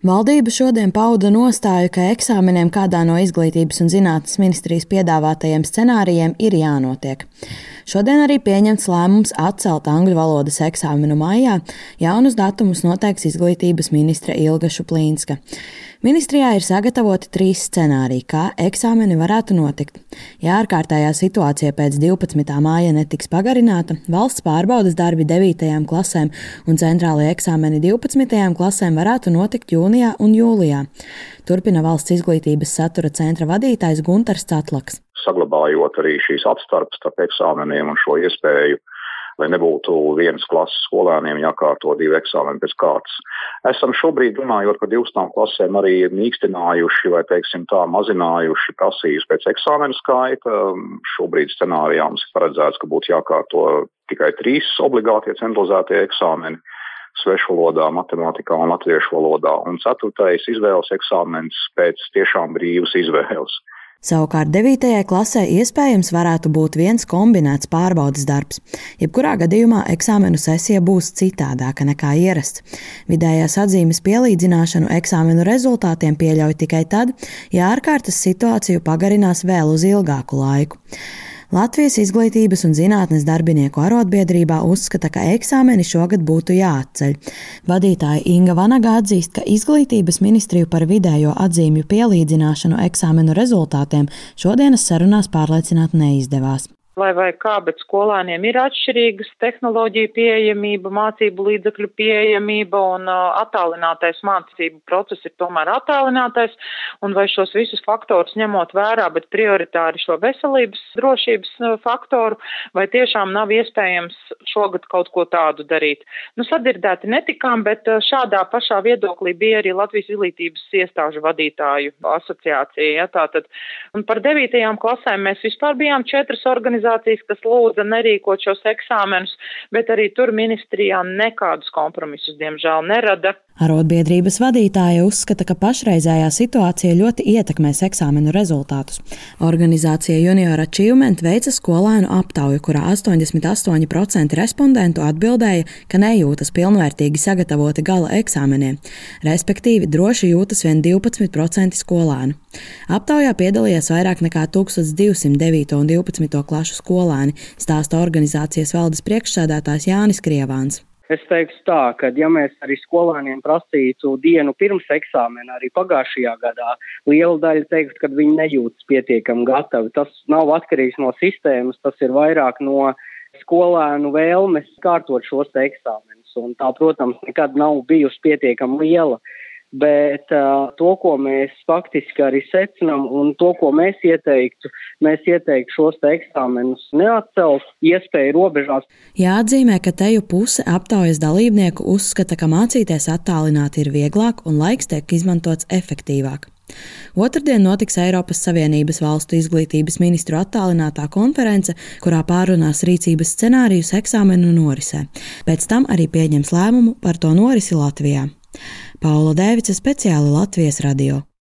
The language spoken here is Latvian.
Valdība šodien pauda nostāju, ka eksāmeniem kādā no Izglītības un zinātnes ministrijas piedāvātajiem scenārijiem ir jānotiek. Šodien arī pieņemts lēmums atcelt angļu valodas eksāmenu maijā. Jaunus datumus noteiks Izglītības ministre Ilga Šuplīnska. Ministrijā ir sagatavoti 3 scenāriji, kā eksāmeni varētu notikt. Ja ārkārtējā situācija pēc 12. māja netiks pagarināta, valsts pārbaudes darbi 9. klasēm un centrālie eksāmeni 12. klasēm varētu notikt jūnijā un jūlijā. Turpina Valsts izglītības satura centra vadītājs Guntars Catlaks. Saglabājot arī šīs atstarpes starp eksāmeniem un šo iespēju, lai nebūtu vienas klases skolēniem jākārto 2 eksāmeni pēc kārtas. Esam šobrīd runājot par 12. klasēm arī mīkstinājuši vai, mazinājuši prasības pēc eksāmenu skaita. Šobrīd scenārijā mums ir paredzēts, ka būtu jākārto tikai 3 obligātie centralizētie eksāmeni svešu valodā, matemātikā un latviešu valodā, un 4. izvēles eksāmens pēc tiešām brīvas izvēles. Savukārt 9. klasē iespējams varētu būt viens kombinēts pārbaudes darbs. Jebkurā gadījumā eksāmenu sesija būs citādāka nekā ierasts. Vidējās atzīmes pielīdzināšanu eksāmenu rezultātiem pieļauj tikai tad, ja ārkārtas situāciju pagarinās vēl uz ilgāku laiku. Latvijas Izglītības un zinātnes darbinieku arotbiedrībā uzskata, ka eksāmeni šogad būtu jāatceļ. Vadītāja Inga Vanaga atzīst, ka Izglītības ministriju par vidējo atzīmju pielīdzināšanu eksāmenu rezultātiem šodienas sarunās pārliecināt neizdevās. Vai kā, bet skolēniem ir atšķirīgas tehnoloģiju pieejamība, mācību līdzekļu pieejamība un attālinātais mācību process ir tomēr attālinātais, un vai šos visus faktorus ņemot vērā, bet prioritāri šo veselības drošības faktoru, vai tiešām nav iespējams šogad kaut ko tādu darīt. Sadzirdēti netikām, bet šādā pašā viedoklī bija arī Latvijas izglītības iestāžu vadītāju asociācija. Ja, tātad. Un par 9. klasēm mēs vispār bijām 4 organizācijas, kas lūdza nerīkot šos eksāmenus, bet arī tur ministrijā nekādus kompromisus, diemžēl, nerada. Arotbiedrības vadītāja uzskata, ka pašreizējā situācija ļoti ietekmēs eksāmenu rezultātus. Organizācija Junior Achievement veica skolēnu aptauju, kurā 88% respondentu atbildēja, ka nejūtas pilnvērtīgi sagatavoti gala eksāmeniem, respektīvi droši jūtas vien 12% skolēnu. Aptaujā piedalījās vairāk nekā 1209 un 12. klašu skolēni, stāsta organizācijas valdes priekšsēdētājs Jānis Krievāns. Es teiktu tā, ka ja mēs arī skolēniem prasītu dienu pirms eksāmena, arī pagājušajā gadā, liela daļa teiktu, ka viņi nejūtas pietiekami gatavi. Tas nav atkarīgs no sistēmas, tas ir vairāk no skolēnu vēlmes kārtot šos eksāmenus. Un tā, protams, nekad nav bijusi pietiekami liela. Bet to, ko mēs faktiski arī secinām un to, ko mēs ieteiktu šos eksāmenus neatcelt, iespēju robežās. Jāatzīmē, ka teju puse aptaujas dalībnieku uzskata, ka mācīties attālināti ir vieglāk un laiks tiek izmantots efektīvāk. Otrdien notiks Eiropas Savienības valstu izglītības ministru attālinātā konference, kurā pārunās rīcības scenārijus eksāmenu norisē. Pēc tam arī pieņems lēmumu par to norisi Latvijā. Paula Dēvica, speciāli Latvijas radio.